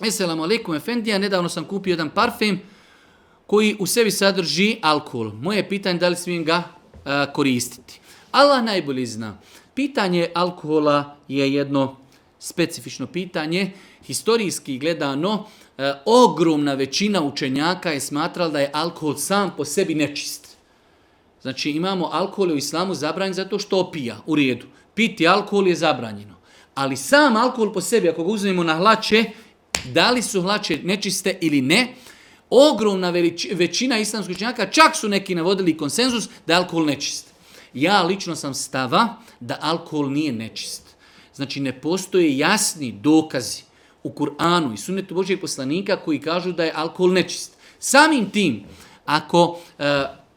Esselamu alaikum efendija, nedavno sam kupio jedan parfem koji u sebi sadrži alkohol. Moje pitanje da li smijem ga koristiti. Allah najbolje zna. Pitanje alkohola je jedno specifično pitanje. Historijski gledano, ogromna većina učenjaka je smatrala da je alkohol sam po sebi nečist. Znači imamo alkohol u islamu zabranjen zato što opija, u redu. Piti alkohol je zabranjeno. Ali sam alkohol po sebi, ako ga uzmemo na hlače, da li su hlače nečiste ili ne, ogromna većina islamskih učenjaka, čak su neki navodili konsenzus da je alkohol nečist. Ja lično sam stava da alkohol nije nečist. Znači ne postoje jasni dokazi u Kur'anu i sunnetu Božijeg poslanika koji kažu da je alkohol nečist. Samim tim, ako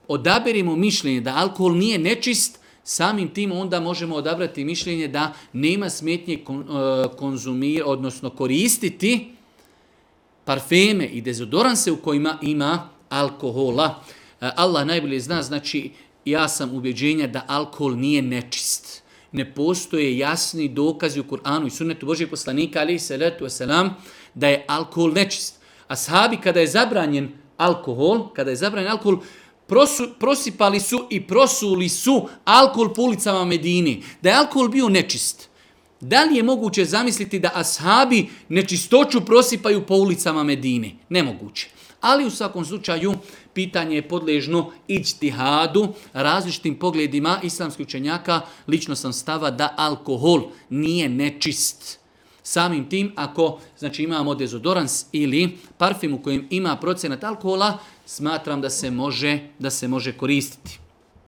odaberemo mišljenje da alkohol nije nečist, samim tim onda možemo odabrati mišljenje da nema smetnje odnosno koristiti parfeme i dezodoranse u kojima ima alkohola. Allah najbolje zna, znači ja sam ubjeđenja da alkohol nije nečist. Ne postoje jasni dokazi u Kur'anu i sunnetu Božijeg poslanika alejhi salatu vesselam da je alkohol nečist. Ashabi kada je zabranjen alkohol, prosipali su i prosuli su alkohol po ulicama Medine. Da je alkohol bio nečist. Da li je moguće zamisliti da ashabi nečistoću prosipaju po ulicama Medine? Nemoguće. Ali u svakom slučaju pitanje je podležno ijtihadu, različitim pogledima islamskih učenjaka. Lično sam stava da alkohol nije nečist. Samim tim, ako znači, imamo dezodorans ili parfem u kojem ima procenat alkohola, smatram da se može koristiti.